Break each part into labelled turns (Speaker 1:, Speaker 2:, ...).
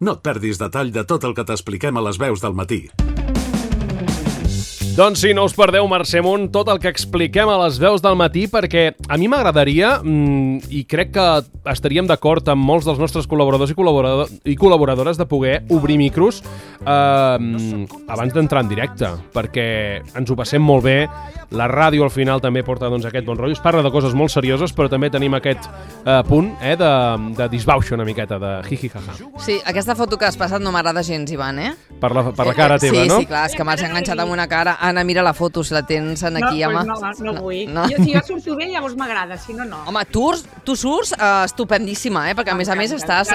Speaker 1: No et perdis detall de tot el que t'expliquem a les veus del matí.
Speaker 2: Doncs sí, no us perdeu, Mercè Munt, tot el que expliquem a les veus del matí, perquè a mi m'agradaria, i crec que estaríem d'acord amb molts dels nostres col·laboradors i col·laboradores de poder obrir micros abans d'entrar en directe, perquè ens ho passem molt bé. La ràdio al final també porta aquest bon rotllo. Es parla de coses molt serioses, però també tenim aquest punt de disbauxa una miqueta, de jiji-jaja.
Speaker 3: Sí, aquesta foto que has passat no m'agrada gens, Ivan,
Speaker 2: Per la cara teva, no?
Speaker 3: Sí, clar, és que m'has enganxat amb una cara. Anna, mira la foto, si la tens aquí, home.
Speaker 4: No vull.
Speaker 3: No.
Speaker 4: Si jo surto bé, llavors m'agrada, si no, no.
Speaker 3: Home, tu surts estupendíssima, perquè a més estàs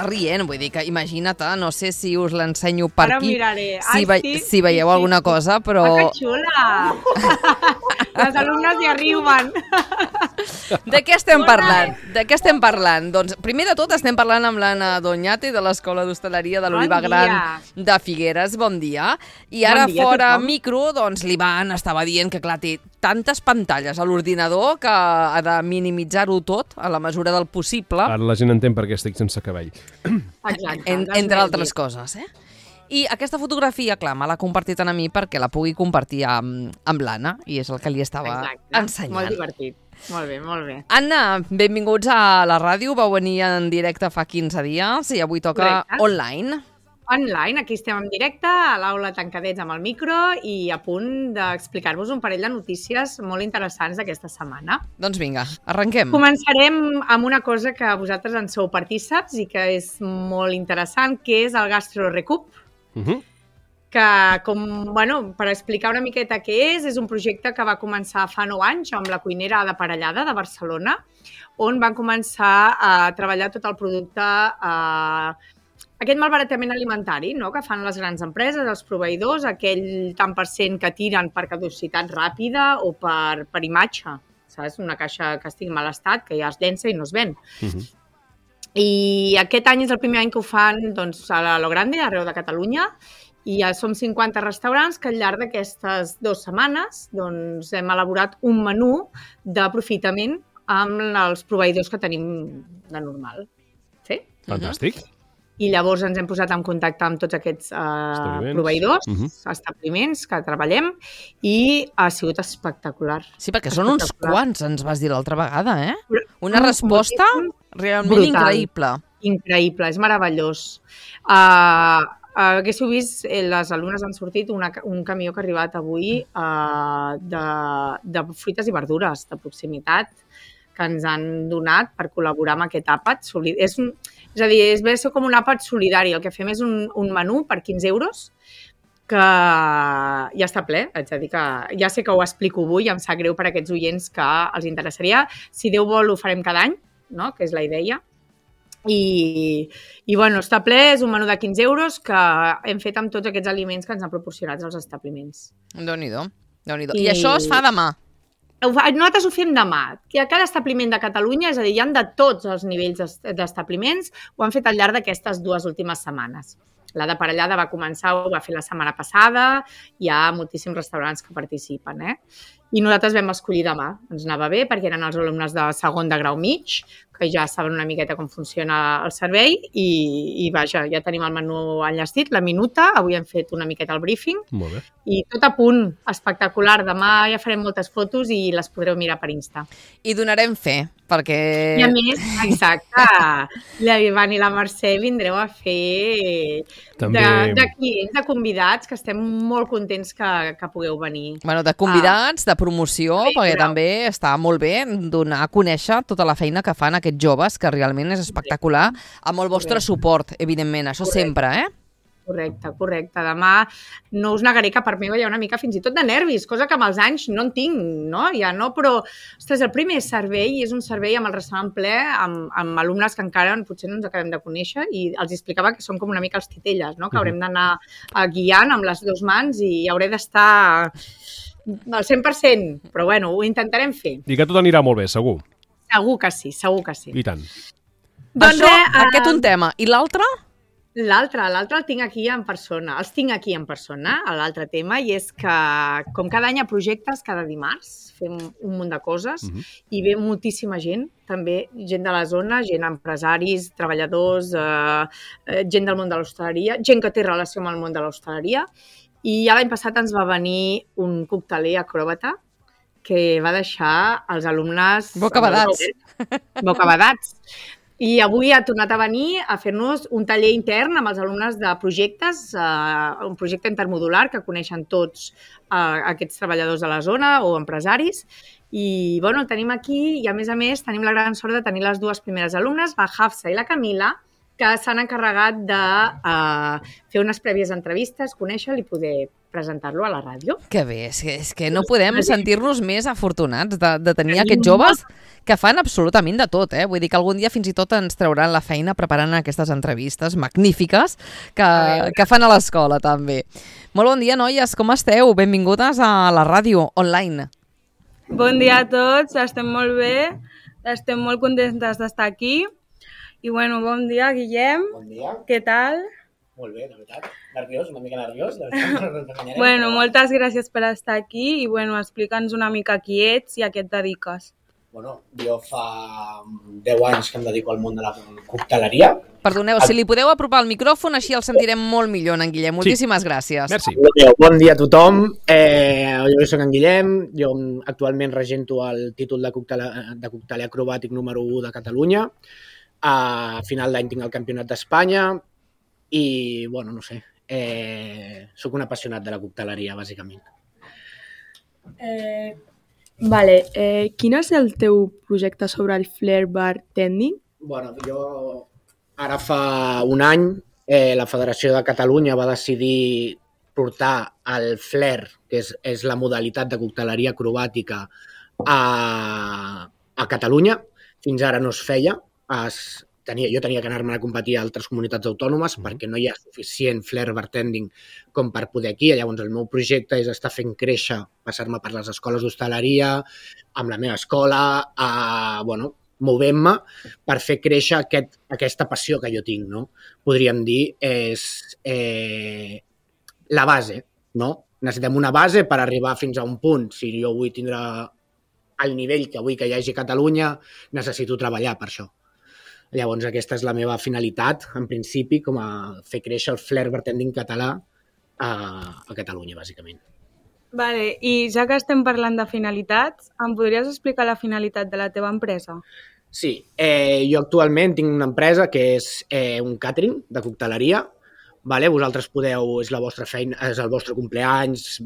Speaker 3: rient, vull dir que imagina't, no sé si us l'ensenyo per
Speaker 4: Ara
Speaker 3: aquí,
Speaker 4: miraré.
Speaker 3: si veieu alguna cosa, però...
Speaker 4: Que xula! Les alumnes ja riuen.
Speaker 3: De què estem parlant? Doncs, primer de tot, estem parlant amb l'Anna Doñate de l'Escola d'Hostaleria de l'Oliva Gran de Figueres. Bon dia. I ara, fora micro, doncs l'Ivan estava dient que, clar, té tantes pantalles a l'ordinador que ha de minimitzar-ho tot a la mesura del possible.
Speaker 2: Ara la gent entén per què estic sense cabell.
Speaker 4: Exacte.
Speaker 3: Entre altres coses, I aquesta fotografia, clar, me l'ha compartit a mi perquè la pugui compartir amb l'Anna, i és el que li estava ensenyant.
Speaker 4: Molt divertit. Molt bé, molt bé.
Speaker 3: Anna, benvinguts a la ràdio. Vau venir en directe fa 15 dies i avui toca online.
Speaker 4: Online, aquí estem en directe, a l'aula tancadets amb el micro i a punt d'explicar-vos un parell de notícies molt interessants d'aquesta setmana.
Speaker 3: Doncs vinga, arrenquem.
Speaker 4: Començarem amb una cosa que vosaltres en sou partíceps i que és molt interessant, que és el Gastro Recup. Que, per explicar una miqueta què és un projecte que va començar fa 9 anys amb la cuinera de Parellada de Barcelona, on van començar a treballar tot el producte, aquest malbaratament alimentari, no?, que fan les grans empreses, els proveïdors, aquell tant per cent que tiren per caducitat ràpida o per imatge, saps? Una caixa que estigui en mal estat, que ja es llença i no es ven. I aquest any és el primer any que ho fan a lo grande, arreu de Catalunya, i ja som 50 restaurants que al llarg d'aquestes 2 setmanes hem elaborat un menú d'aprofitament amb els proveïdors que tenim de normal. Sí?
Speaker 2: Fantàstic.
Speaker 4: I llavors ens hem posat en contacte amb tots aquests proveïdors, establiments que treballem, i ha sigut espectacular.
Speaker 3: Sí, perquè són uns quants, ens vas dir l'altra vegada, Una resposta realment increïble.
Speaker 4: Increïble, és meravellós. Haguéssiu vist, les alumnes han sortit un camió que ha arribat avui de fruites i verdures de proximitat que ens han donat per col·laborar amb aquest àpat. És a dir, ve a ser com un àpat solidari. El que fem és un menú per 15 euros que ja està ple. Haig de dir que ja sé que ho explico avui i em sap greu per a aquests oients que els interessaria. Si Déu vol, ho farem cada any, no?, que és la idea. I està ple, és un menú de 15 euros que hem fet amb tots aquests aliments que ens han proporcionat els establiments.
Speaker 3: Déu-n'hi-do. I això es fa demà?
Speaker 4: Nosaltres ho fem demà. A cada establiment de Catalunya, és a dir, hi ha de tots els nivells d'establiments, ho han fet al llarg d'aquestes 2 últimes setmanes. La de Parellada va començar, ho va fer la setmana passada, hi ha moltíssims restaurants que participen, I nosaltres vam escollir demà. Ens anava bé perquè eren els alumnes de segon de grau mig, que ja saben una miqueta com funciona el servei i vaja, ja tenim el menú enllestit, la minuta, avui hem fet una miqueta el briefing.
Speaker 2: Molt bé.
Speaker 4: I tot a punt, espectacular. Demà ja farem moltes fotos i les podreu mirar per Insta.
Speaker 3: I donarem fe, perquè...
Speaker 4: I a més, exacte, l'Ivan i la Mercè vindreu a fer de clients, de convidats, que estem molt contents que pugueu venir.
Speaker 3: Bueno, de convidats, de promoció, perquè també està molt bé donar a conèixer tota la feina que fan aquests joves, que realment és espectacular, amb el vostre suport, evidentment, això sempre,
Speaker 4: Correcte. Demà no us negaré que per mi hi ha una mica fins i tot de nervis, cosa que amb els anys no en tinc, no? Ja no, però, ostres, el primer servei és un servei amb el restaurant ple, amb alumnes que encara potser no ens acabem de conèixer, i els explicava que són com una mica els titelles, no? Que haurem d'anar guiant amb les 2 mans i hauré d'estar al 100%, però bueno, ho intentarem fer.
Speaker 2: I que tot anirà molt bé, segur.
Speaker 4: Segur que sí.
Speaker 2: I tant.
Speaker 3: Doncs aquest un tema. I l'altre?
Speaker 4: L'altre el tinc aquí en persona. Els tinc aquí en persona, l'altre tema, i és que, com cada any a projectes, cada dimarts fem un munt de coses i ve moltíssima gent, també gent de la zona, gent empresaris, treballadors, gent del món de l'hostaleria, gent que té relació amb el món de l'hostaleria. I ja l'any passat ens va venir un cocteler acròbata que va deixar els alumnes... Bocabadats. I avui ha tornat a venir a fer-nos un taller intern amb els alumnes de projectes, un projecte intermodular que coneixen tots aquests treballadors de la zona o empresaris. I el tenim aquí i, a més, tenim la gran sort de tenir les dues primeres alumnes, la Hafsa i la Camila, que s'han encarregat de fer unes prèvies entrevistes, conèixer-lo i poder presentar-lo a la ràdio.
Speaker 3: Que bé, és que no podem sentir-nos més afortunats de tenir aquests joves que fan absolutament de tot, Vull dir que algun dia fins i tot ens trauran la feina preparant aquestes entrevistes magnífiques que fan a l'escola, també. Molt bon dia, noies, com esteu? Benvingudes a la ràdio online.
Speaker 5: Bon dia a tots, estem molt bé, estem molt contentes d'estar aquí. I bon dia, Guillem.
Speaker 6: Bon dia.
Speaker 5: Què tal?
Speaker 6: Molt bé, la veritat. Nerviós, una mica nerviós.
Speaker 5: Moltes gràcies per estar aquí i explica'ns una mica qui ets i a què et dediques.
Speaker 6: Jo fa 10 anys que em dedico al món de la cocteleria.
Speaker 3: Perdoneu, si li podeu apropar el micròfon, així el sentirem molt millor, en Guillem. Moltíssimes gràcies.
Speaker 2: Merci.
Speaker 6: Bon dia a tothom. Jo soc en Guillem. Jo actualment regento el títol de cocteler acrobàtic número 1 de Catalunya. A final d'any tinc el Campionat d'Espanya i, no sé, sóc un apassionat de la cocteleria, bàsicament.
Speaker 5: Quin és el teu projecte sobre el flair bartending?
Speaker 6: Jo ara fa un any la Federació de Catalunya va decidir portar el flair, que és la modalitat de cocteleria acrobàtica, a Catalunya. Fins ara no es feia. Jo tenia que anar-me a competir a altres comunitats autònomes perquè no hi ha suficient flair bartending com per poder aquí. Llavors el meu projecte és estar fent créixer, passar-me per les escoles d'hostaleria, amb la meva escola, movent-me per fer créixer aquesta passió que jo tinc, no? Podríem dir, és la base, no? Necessitem una base per arribar fins a un punt. Si jo vull tindre el nivell que vull que hi hagi a Catalunya, necessito treballar per això. Llavors, aquesta és la meva finalitat, en principi, com a fer créixer el flair bartending català a Catalunya, bàsicament.
Speaker 5: I ja que estem parlant de finalitats, em podries explicar la finalitat de la teva empresa?
Speaker 6: Sí, jo actualment tinc una empresa que és un catering de cocteleria. Vosaltres podeu, és la vostra feina, és el vostre compleanys,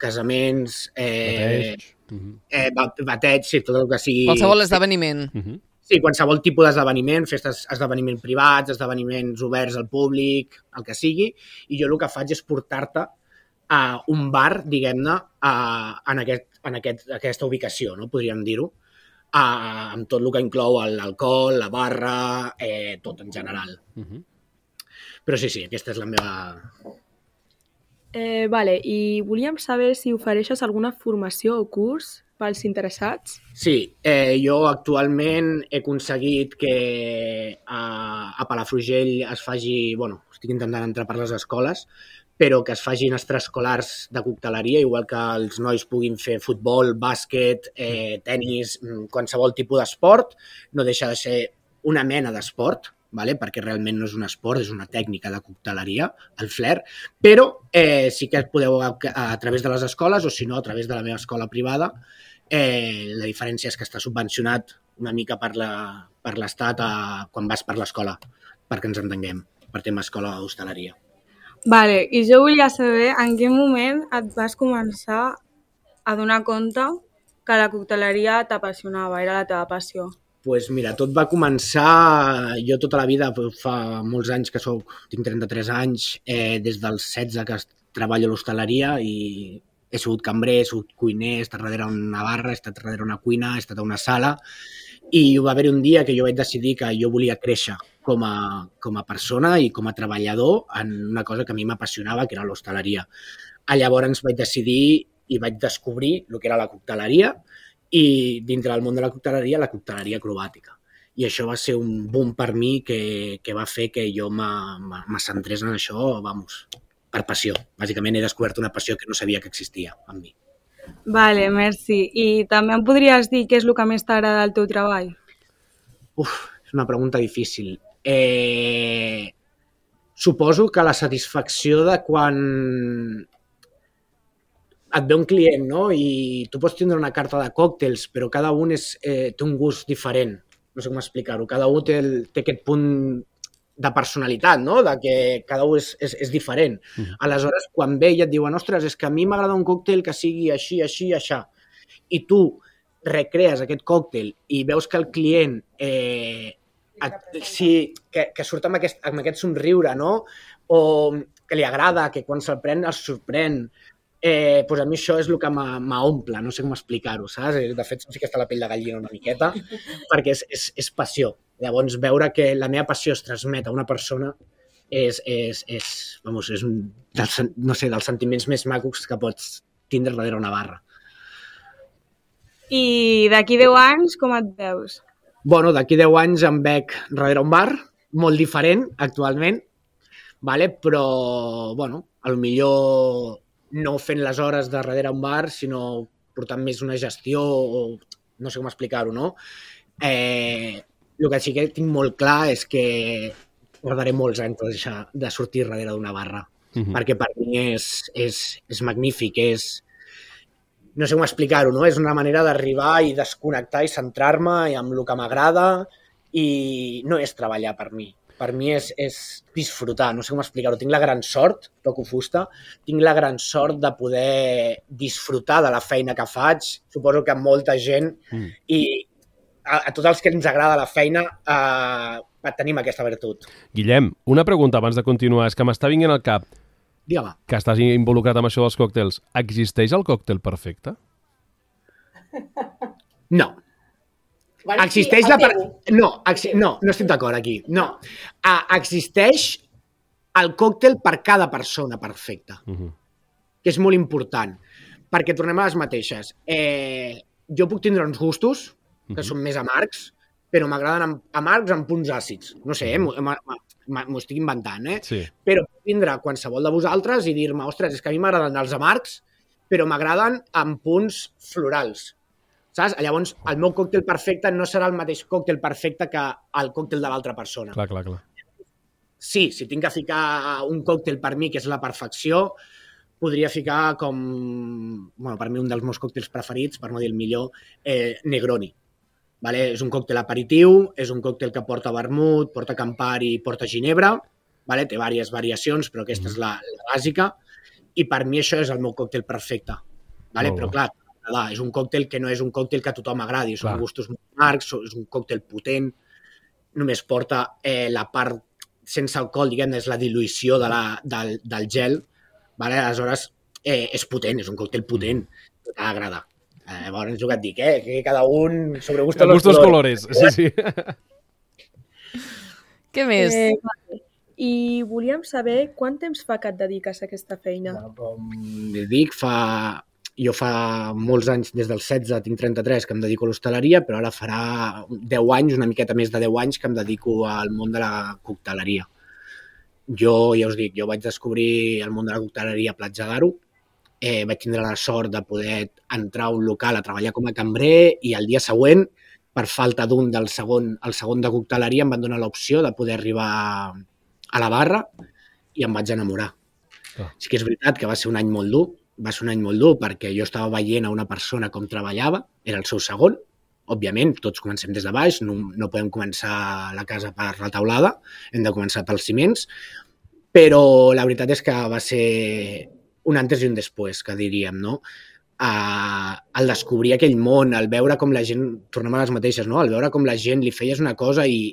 Speaker 6: casaments, bateig, sí, tot el que sigui...
Speaker 3: Qualsevol esdeveniment.
Speaker 6: Sí, qualsevol tipus d'esdeveniment, festes, esdeveniments privats, esdeveniments oberts al públic, el que sigui, i jo el que faig és portar-te a un bar, diguem-ne, en aquesta ubicació, no? Podríem dir-ho, amb tot el que inclou l'alcohol, la barra, tot en general. Però sí, aquesta és la meva...
Speaker 5: I volíem saber si ofereixes alguna formació o curs pels interessats?
Speaker 6: Sí, jo actualment he aconseguit que a Palafrugell es faci, estic intentant entrar per les escoles, però que es facin extraescolars de cocteleria, igual que els nois puguin fer futbol, bàsquet, tenis, qualsevol tipus d'esport, no deixa de ser una mena d'esport, perquè realment no és un esport, és una tècnica de cocteleria, el flair, però sí que podeu a través de les escoles o si no a través de la meva escola privada. La diferència és que està subvencionat una mica per l'Estat quan vas per l'escola, perquè ens entenguem, per tema escola d'hostaleria.
Speaker 5: I jo volia saber en quin moment et vas començar a donar compte que la cocteleria t'apassionava, era la teva passió.
Speaker 6: Doncs mira, tot va començar, jo tota la vida, fa molts anys que tinc 33 anys, des dels 16 que treballo a l'hostaleria i he sigut cambrer, he sigut cuiner, he estat darrere una barra, he estat darrere una cuina, he estat a una sala i va haver un dia que jo vaig decidir que jo volia créixer com a persona i com a treballador en una cosa que a mi m'apassionava, que era l'hostaleria. Llavors vaig decidir i vaig descobrir el que era la cocteleria i dintre del món de la cocteleria acrobàtica. I això va ser un boom per mi que va fer que jo me centrés en això, vamos, per passió. Bàsicament he descobert una passió que no sabia que existia en mi.
Speaker 5: Vale, merci. I també em podries dir què és el que més t'agrada del teu treball?
Speaker 6: És una pregunta difícil. Suposo que la satisfacció de quan et ve un client, no? I tu pots tindre una carta de còctels, però cada un té un gust diferent. No sé com explicar-ho. Cada un té aquest punt de personalitat, no? De que cada un és diferent. Aleshores, quan ve i et diuen ostres, és que a mi m'agrada un còctel que sigui així, així, així. I tu recrees aquest còctel i veus que el client que surt amb aquest somriure, no? O que li agrada, que quan se'l pren es sorprèn. Doncs a mi això és el que m'omple, no sé com explicar-ho, saps? De fet, sí que està la pell de gallina una miqueta, perquè és passió. Llavors, veure que la meva passió es transmet a una persona és un dels sentiments més macos que pots tindre darrere una barra.
Speaker 5: I d'aquí 10 anys, com et veus?
Speaker 6: Bueno, d'aquí 10 anys em veig darrere un bar, molt diferent actualment, però, bueno, potser no fent les hores de darrere un bar, sinó portant més una gestió, o no sé com explicar-ho, no? El que sí que tinc molt clar és que guardaré molts anys de sortir darrere d'una barra, perquè per mi és magnífic, no sé com explicar-ho, no? És una manera d'arribar i desconnectar i centrar-me amb el que m'agrada i no és treballar per mi. Per mi és disfrutar, no sé com explicar-ho. Tinc la gran sort, toco fusta, tinc la gran sort de poder disfrutar de la feina que faig. Suposo que molta gent i a tots els que ens agrada la feina tenim aquesta virtut.
Speaker 2: Guillem, una pregunta abans de continuar. És que m'està vinguent al cap.
Speaker 6: Digue-me.
Speaker 2: Que estàs involucrat amb això dels còctels. Existeix el còctel perfecte?
Speaker 6: No. Existeix no estic d'acord aquí. No. Existeix el còctel per cada persona perfecta, que és molt important, perquè tornem a les mateixes. Jo puc tindre uns gustos que són més amargs, però m'agraden amargs amb punts àcids. No sé, m'ho estic inventant,
Speaker 2: Sí.
Speaker 6: Però puc tindre qualsevol de vosaltres i dir-me, ostres, és que a mi m'agraden els amargs, però m'agraden amb punts florals. Saps? Llavors, el meu còctel perfecte no serà el mateix còctel perfecte que el còctel de l'altra persona.
Speaker 2: Clar.
Speaker 6: Sí, si tinc que ficar un còctel per mi, que és la perfecció, podria ficar com, bueno, per mi un dels meus còctels preferits, per no dir el millor, Negroni. Vale? És un còctel aperitiu, és un còctel que porta vermut, porta Campari, porta ginebra, vale? Té diverses variacions, però aquesta és la bàsica, i per mi això és el meu còctel perfecte. Vale? Però clar, és un còctel que no és un còctel que a tothom agradi, són gustos molt amargs, és un còctel potent, només porta la part sense alcohol, diguem-ne, és la diluïció del gel, vale? Aleshores és potent, és un còctel potent, que t'agrada. Llavors, és el que et dic, que cada un sobre gustos
Speaker 2: colores. Sí.
Speaker 3: Què més?
Speaker 7: I volíem saber quant temps fa que et dediques a aquesta feina?
Speaker 6: Com dic, jo fa molts anys, des dels 16, tinc 33, que em dedico a l'hostaleria, però ara farà 10 anys, una miqueta més de 10 anys, que em dedico al món de la cocteleria. Jo, ja us dic, jo vaig descobrir el món de la cocteleria a Platja d'Aro, vaig tindre la sort de poder entrar a un local a treballar com a cambrer i el dia següent, per falta d'un el segon de cocteleria, em van donar l'opció de poder arribar a la barra i em vaig enamorar. Sí que és veritat que va ser un any molt dur, perquè jo estava veient a una persona com treballava, era el seu segon, òbviament, tots comencem des de baix, no podem començar la casa per la teulada, hem de començar pels ciments, però la veritat és que va ser un antes i un després, que diríem, no? Al descobrir aquell món, al veure com la gent, tornem a les mateixes, no? Al veure com la gent li feies una cosa i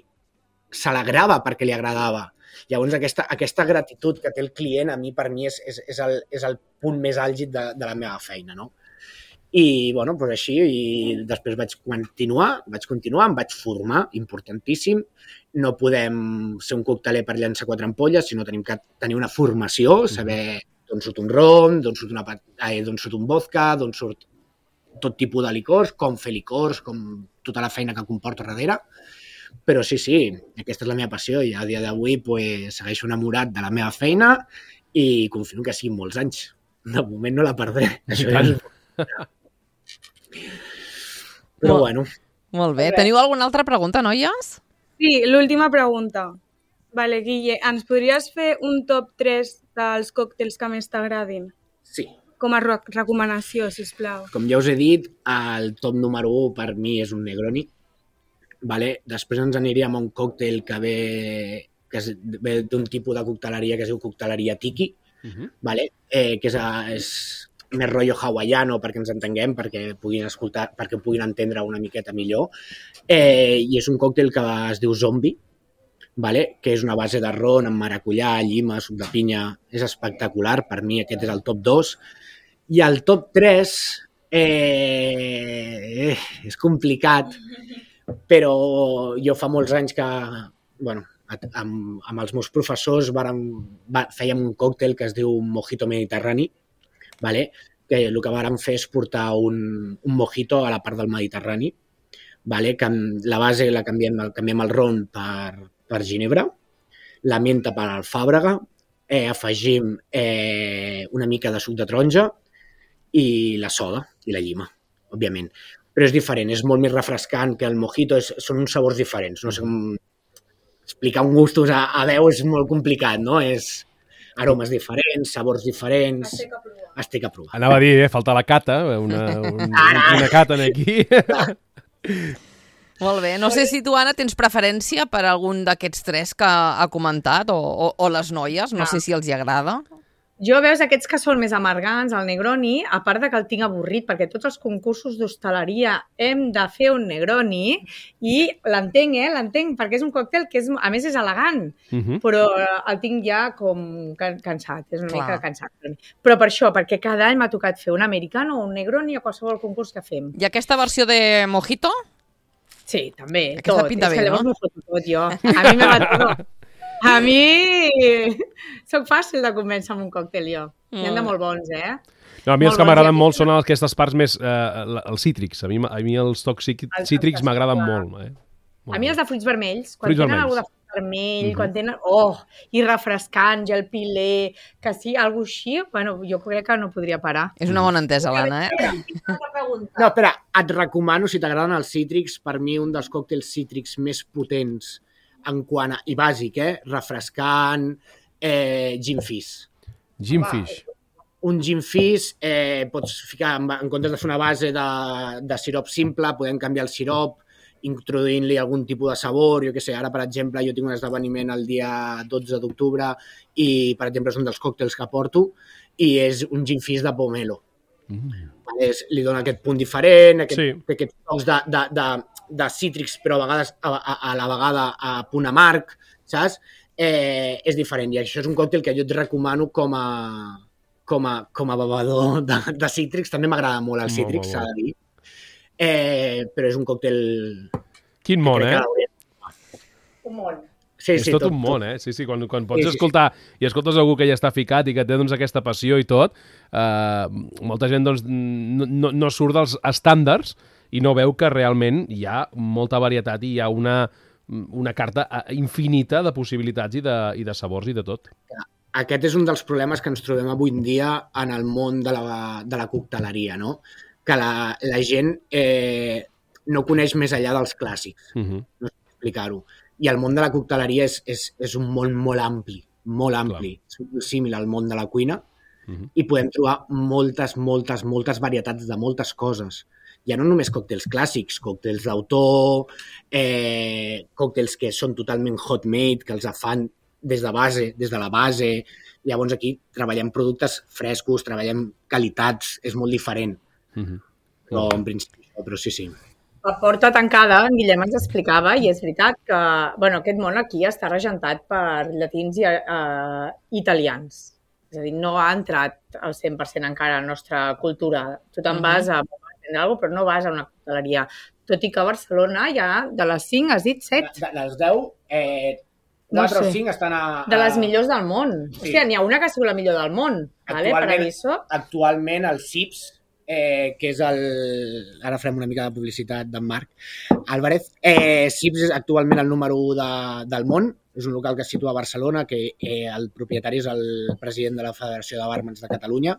Speaker 6: s'alegrava perquè li agradava. Llavors, aquesta gratitud que té el client, a mi, per mi, és el punt més àlgid de la meva feina, no? I, bueno, doncs així, i després vaig continuar, em vaig formar, importantíssim. No podem ser un cocteler per llançar 4 ampolles, sinó tenim que tenir una formació, saber d'on surt un rom, d'on surt un vodka, d'on surt tot tipus de licors, com fer licors, com tota la feina que comporta darrere. Però sí, aquesta és la meva passió i a dia d'avui segueixo enamorat de la meva feina i confio que siguin molts anys. De moment no la perdré. Això ja és... Però bueno.
Speaker 3: Molt bé. Teniu alguna altra pregunta, noies?
Speaker 5: Sí, l'última pregunta. Vale, Guille, ens podries fer un top 3 dels còctels que més t'agradin?
Speaker 6: Sí.
Speaker 5: Com a recomanació, sisplau.
Speaker 6: Com ja us he dit, el top número 1 per mi és un Negroni. Vale? Després ens aniríem a un còctel que ve d'un tipus de cocteleria que es diu cocteleria tiki, vale? Que és més rotllo hawaiano perquè ens entenguem, perquè puguin entendre una miqueta millor. I és un còctel que es diu Zombie, vale? Que és una base de ron amb maracuyà, llima, suc de pinya. És espectacular, per mi aquest és el top 2. I el top 3 és complicat, però jo fa molts anys que, bueno, amb els meus professors fèiem un còctel que es diu Mojito Mediterrani, vale? Que el que vàrem fer és portar un mojito a la part del Mediterrani, vale? Que la base la canviem el ron per ginebra, la menta per alfàbrega, afegim una mica de suc de taronja i la soda i la llima, òbviament. Però és diferent, és molt més refrescant que el mojito, són uns sabors diferents. No sé com explicar un gustos a veu és molt complicat, no? És aromes diferents, sabors diferents... Estic a provar.
Speaker 2: Anava a dir, falta la cata, una cata aquí.
Speaker 3: Molt bé. No sé si tu, Anna, tens preferència per algun d'aquests 3 que ha comentat o les noies, no sé si els hi agrada.
Speaker 4: Jo veus aquests que són més amargants, el Negroni, a part de que el tinc avorrit, perquè tots els concursos d'hostaleria hem de fer un Negroni i l'entenc, perquè és un còctel que a més és elegant, però el tinc ja com cansat, és una mica cansat. Però per això, perquè cada any m'ha tocat fer un americano o un Negroni a qualsevol concurs que fem.
Speaker 3: I aquesta versió de mojito?
Speaker 4: Sí, també,
Speaker 3: aquesta
Speaker 4: tot.
Speaker 3: Pinta bé,
Speaker 4: és que
Speaker 3: no?
Speaker 4: llavors m'ho foto tot jo. A mi me va tot. A mi soc fàcil de convèncer amb un còctel, jo. N'hi ha de molt bons,
Speaker 2: No, a mi els que m'agraden molt són aquestes parts més... els cítrics. A mi els tocs cítrics m'agraden molt.
Speaker 4: A mi els de fruits vermells. Quan tenen alguna de fruit vermell, quan tenen... Oh! I refrescant, gel pilé, que sí, alguna així, bueno, jo crec que no podria parar.
Speaker 3: És una bona entesa, l'Anna,
Speaker 6: No, espera, et recomano, si t'agraden els cítrics, per mi un dels còctels cítrics més potents en quant a... i bàsic, refrescant, gin fizz.
Speaker 2: Gin fizz.
Speaker 6: Un gin fizz, pots ficar, en comptes de fer una base de sirop simple, podem canviar el sirop, introduint-li algun tipus de sabor, jo què sé, ara, per exemple, jo tinc un esdeveniment el dia 12 d'octubre i, per exemple, és un dels còctels que porto i és un gin fizz de pomelo. Li dona aquest punt diferent, aquests tocs de cítrics, però a vegades a la vegada a punt amarg, saps? És diferent i això és un còctel que jo et recomano com a bevedor de cítrics. També m'agrada molt el cítric, s'ha de dir. Però és un còctel...
Speaker 2: Quin món,
Speaker 4: Un món.
Speaker 2: Sí, és tot un món, Sí, quan pots escoltar i escoltes algú que ja està ficat i que té aquesta passió i tot, molta gent no surt dels estàndards i no veu que realment hi ha molta varietat i hi ha una carta infinita de possibilitats i de sabors i de tot.
Speaker 6: Aquest és un dels problemes que ens trobem avui en dia en el món de la cocteleria, no? Que la gent no coneix més enllà dels clàssics, no sé explicar-ho. I el món de la cocteleria és un món molt ampli, és símil al món de la cuina i podem trobar moltes varietats de moltes coses. Ja no només còctels clàssics, còctels d'autor, còctels que són totalment hot-made, que els fan des de la base. Llavors aquí treballem productes frescos, treballem qualitats, és molt diferent. Però en principi, però sí.
Speaker 4: La porta tancada, en Guillem ens explicava, i és veritat que aquest món aquí està regentat per llatins i italians. És a dir, no ha entrat al 100% encara a la nostra cultura. Tu te'n vas a aprendre alguna cosa, però no vas a una cocteleria. Tot i que a Barcelona ja de les 5 has dit 7.
Speaker 6: De les 10, 4 o 5 estan a...
Speaker 4: De les millors del món. Hòstia, n'hi ha una que ha sigut la millor del món. Paradiso.
Speaker 6: Actualment el CIPS que és ara farem una mica de publicitat d'en Marc Álvarez. Sips és actualment el número 1 del món, és un local que es situa a Barcelona, que el propietari és el president de la Federació de Bàrmans de Catalunya,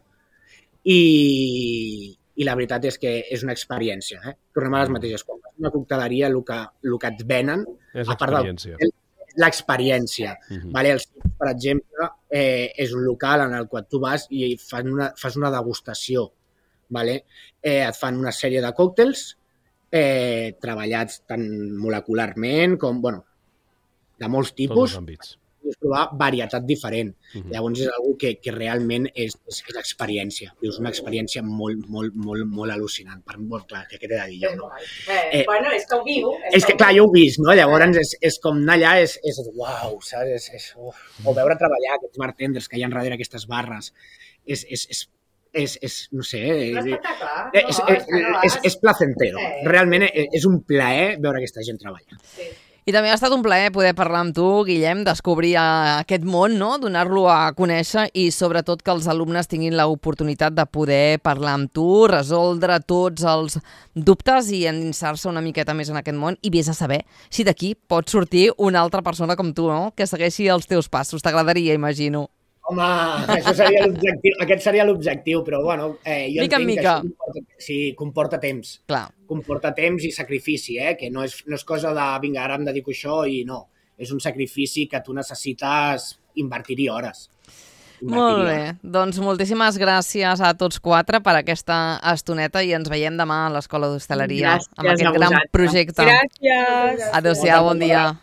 Speaker 6: i la veritat és que és una experiència. Tornem a les mateixes coses. Una cocteleria, el que et venen,
Speaker 2: És
Speaker 6: a part del l'experiència. Vale? El Sips, per exemple, és un local en el qual tu vas i fas una degustació. Vale? Et fan una sèrie de còctels treballats tant molecularment com, de molts tipus, i provar varietat diferent. Llavors és algo que realment és experiència. És una experiència molt al·lucinant. Clar, què t'he de dir jo, no?
Speaker 4: Bueno, és que ho viu.
Speaker 6: És que, clar, jo ho he vist, no? Llavors és com anar allà, és uau, saps? O veure treballar aquests bartenders que hi ha darrere aquestes barres. No sé, és placentero. Realment és un plaer veure aquesta gent treballar.
Speaker 3: I també ha estat un plaer poder parlar amb tu, Guillem, descobrir aquest món, no? Donar-lo a conèixer i sobretot que els alumnes tinguin l'oportunitat de poder parlar amb tu, resoldre tots els dubtes i endinsar-se una miqueta més en aquest món i vés a saber si d'aquí pot sortir una altra persona com tu, no? Que segueixi els teus passos. T'agradaria, imagino.
Speaker 6: Home, això seria l'objectiu. Aquest seria l'objectiu, però jo
Speaker 3: mica
Speaker 6: entenc que això comporta temps.
Speaker 3: Clar.
Speaker 6: Comporta temps i sacrifici, que no és cosa de, vinga, ara em dedico a això i no. És un sacrifici que tu necessites invertir-hi hores.
Speaker 3: Molt bé, doncs moltíssimes gràcies a tots 4 per aquesta estoneta i ens veiem demà a l'Escola d'Hostaleria amb aquest gran projecte.
Speaker 7: Gràcies.
Speaker 3: Adéu-siau, bon dia.